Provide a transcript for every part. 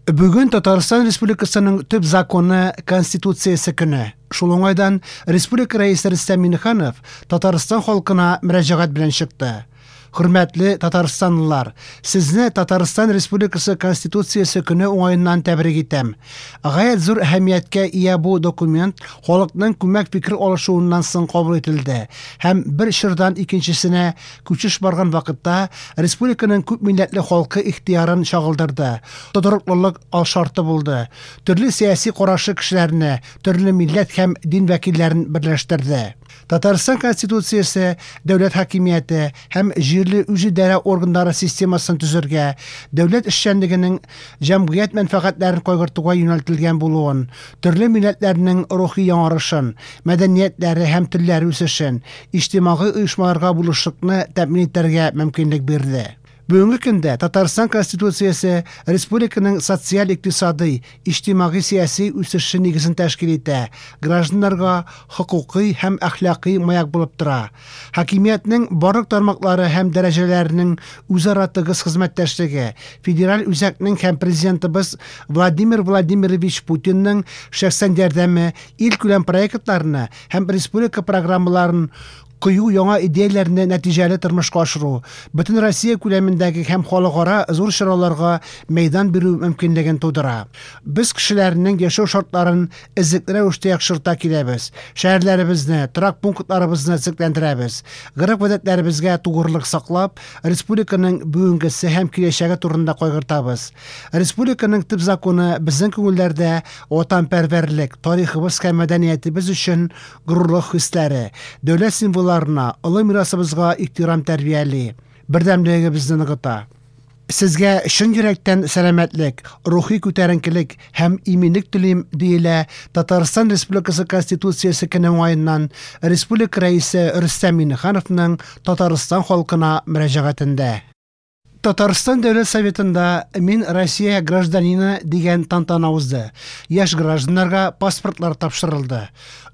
Бүген Татарстан Республикасының төп законы Конституциясе көне. Шул уңайдан республика Рәисе Рөстәм Миңнеханов Татарстан халкына мөрәҗәгать белән чыкты. Хөрмәтле татарстанлылар, сезне Татарстан Республикасы Конституциясе көне уңаеннан тәбрик итәм. Гаять зур әһәмияткә ия бу документ халыкның күмәк фикер алышуыннан соң кабул ителде һәм бер чордан икенчесенә күчеш барган вакытта республиканың күпмилләтле халкы ихтыярын чагылдырды, тотрыклылык алшарты булды, төрле сәяси карашлы кешеләрне, төрле милләт һәм дин вәкилләрен берләштерде. Татарстан Конституциясе дәүләт хакимияте һәм җирле үзидарә органнары системасын төзергә, дәүләт эшчәнлегенең җәмгыять мәнфәгатьләрен кайгыртуга юнәлтелгән булуын, төрле милләтләрнең рухи яңарышын, мәдәниятләре һәм телләре үсешен, иҗтимагый оешмаларга булышлыкны тәэмин итәргә мөмкинлек бирде. Бүгенге көндә Татарстан Конституциясе республиканың социаль-икътисадый, иҗтимагый-сәяси үсеше нигезен тәшкил итә, гражданнарга хокукый һәм әхлакый маяк булып тора. Хакимиятнең барлык тармаклары һәм дәрәҗәләренең үзара тыгыз хезмәттәшлеге, федераль үзәкнең һәм Президентыбыз Владимир Владимирович Путинның шәхсән ярдәме илкүләм проектларны һәм республика программаларын кыю яңа идеяләрне нәтиҗәле тормышка ашыру, бөтен Россия күләмендәге һәм халыкара зур чараларга мәйдан бирү мөмкинлеген тудыра. Без кешеләрнең яшәү шартларын эзлекле рәвештә яхшырта киләбез, шәһәрләребезне, торак пунктларыбызны төзекләндерәбез, гореф-гадәтләребезгә тугрылык саклап, республиканың бүгенгесе һәм киләчәге турында кайгыртабыз. Республиканың төп законы безнең күңелләрдә ватанпәрвәрлек, тарихыбыз һәм мәдәниятебез өчен горурлык хисләре, дәүләт символларына, олы мирасыбызга ихтирам тәрбияли, бердәмлегебезне ныгыта. Сезгә чын йөрәктән сәламәтлек, рухи күтәренкелек һәм иминлек телим, диелә Татарстан Республикасы Конституциясе көне уңаеннан республика Рәисе Рөстәм Миңнехановның Татарстан халкына мөрәҗәгатендә. Татарстан Дәүләт Советында Мин Россия гражданины дигән тантана узды. Яшь гражданнарга паспортлар тапшырылды.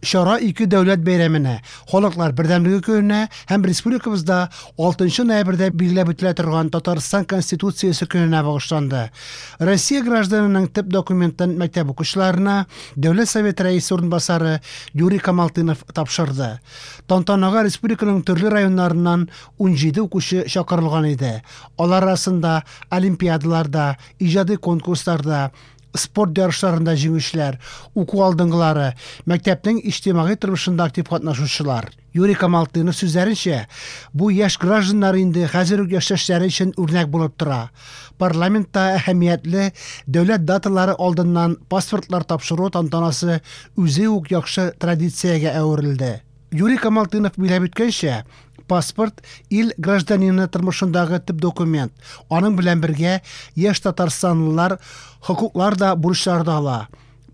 Чара ике дәүләт бәйрәменә, Халыклар бердәмлеге көненә һәм республикабызда 6 ноябрьдә билгеләп үтелә торган Татарстан Конституциясе көненә багышланды. Россия гражданының төп документын мәктәп укучыларына Дәүләт Советы Рәисе урынбасары Юрий Камалтынов тапшырды. Тантанага республиканың төрле районнарыннан 17 укучы чакырылган иде. Алар арасында олимпиадаларда, иҗади конкурсларда, спорт ярышларында җиңүчеләр, уку алдынгылары, мәктәпнең иҗтимагый тормышында актив катнашучылар. Юрий Камалтынов сүзләренчә, бу яшь гражданнар инде хәзер үк яшьтәшләре өчен үрнәк булып тора. Парламентта әһәмиятле дәүләт даталары алдыннан паспортлар тапшыру тантанасы үзе үк яхшы традициягә әверелде. Юрий Камалтынов билгеләп үткәнчә, паспорт ил гражданины тормышындагы төп документ. Аның белән бергә яшь татарстанлылар хокуклар да, бурычлар да ала.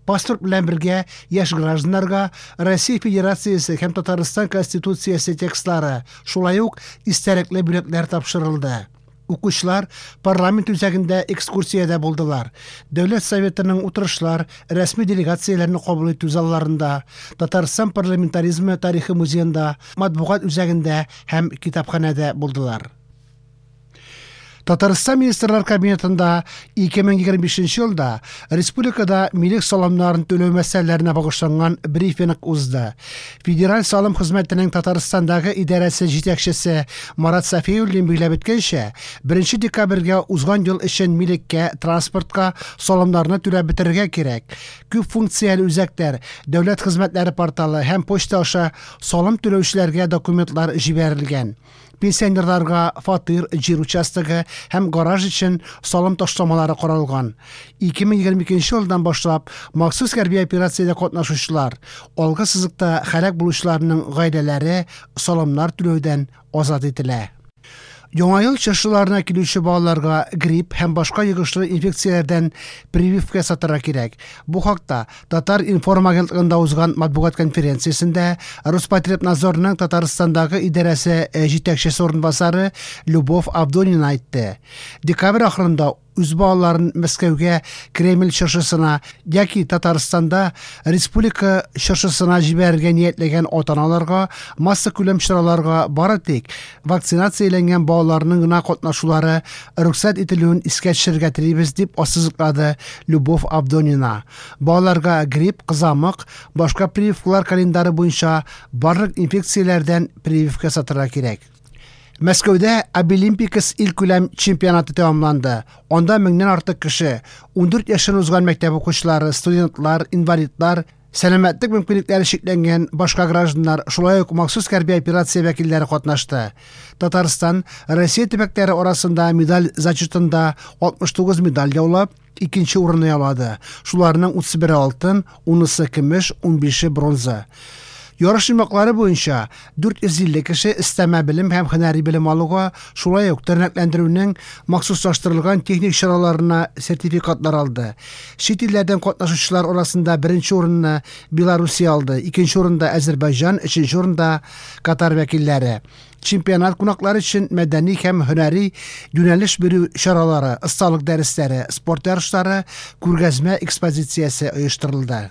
Паспорт белән бергә яшь гражданнарга Россия Федерациясе һәм Татарстан Конституциясе текстлары, шулай ук истәлекле бүләкләр тапшырылды. Укучылар парламент үзәгендә экскурсиядә булдылар. Дәүләт Советының утырышлар, рәсми делегацияләрне кабул итү залларында, Татарстан парламентаризмы тарихы музеенда, матбугат үзәгендә һәм китапханәдә булдылар. Татарстан Министрлар Кабинетында 2025 елда республикада милек салымнарын түләү мәсьәләләренә багышланган брифинг узды. Федераль салым хезмәтенең Татарстандагы идарәсе җитәкчесе Марат Сафиуллин билгеләп үткәнчә, 1 декабрьгә узган ел өчен милеккә, транспортка салымнарны түләп бетерергә кирәк. Күп функцияле үзәкләр, дәүләт хезмәтләре порталы һәм почта аша салым түләүчеләргә документлар җибәрелгән. Пенсионерларга фатир, җир участогы һәм гараж өчен салым ташламалары каралган. 2022 елдан башлап махсус хәрби операциядә катнашучылар, алгы сызыкта һәлак булучыларның гаиләләре салымнар түләүдән азат ителә. Яңа ел чыршыларына килүче балаларга грипп һәм башка йогышлы инфекцияләрдән прививка ясатырга кирәк. Бу хакта Татар-информ агентлыгында узган матбугат конференциясендә Роспотребнадзорның Татарстандагы идарәсе җитәкчесе урынбасары Любовь Авдонина әйтте. Декабрь ахырында Үз балаларын Мәскәүгә Кремль чыршысына яки Татарстанда республика чыршысына җибәрергә ниятләгән ата-аналарга массакүләм чараларга бары тик вакцинацияләнгән балаларның гына катнашулары рөхсәт ителүен искә төшерергә телибез, дип ассызыклады Любовь Авдонина. Балаларга грипп, кызамык, башка прививкалар календары буенча барлык инфекцияләрдән прививка ясатырга кирәк. Мәскәүдә Абилимпикс илкүләм чемпионаты тәмамланды. Анда меңнән артык кеше, 14 яшен узган мәктәп укучылары, студентлар, инвалидлар, сәламәтлек мөмкинлекләре чикләнгән башка гражданнар, шулай ук махсус хәрби операция вәкилләре катнашты. Татарстан Россия төбәкләре арасында медаль зачетында 69 медаль яулап, икенче урынны яулады. Шуларның 31-е алтын, 10-сы көмеш, 15-е бронза. Ярыш йомгаклары буенча 450 кеше өстәмә белем һәм һөнәри белем алуга, шулай ук тернәкләндерүнең махсуслаштырылган техник чараларына сертификатлар алды. Чит илләрдән катнашучылар арасында беренче урынны Белоруссия алды, икенче урында Әзербайҗан, өченче урында Катар вәкилләре. Чемпионат кунаклары өчен мәдәни һәм һөнәри юнәлеш бирү чаралары, осталык дәресләре, спорт ярышлары, күргәзмә экспозициясе оештырылды.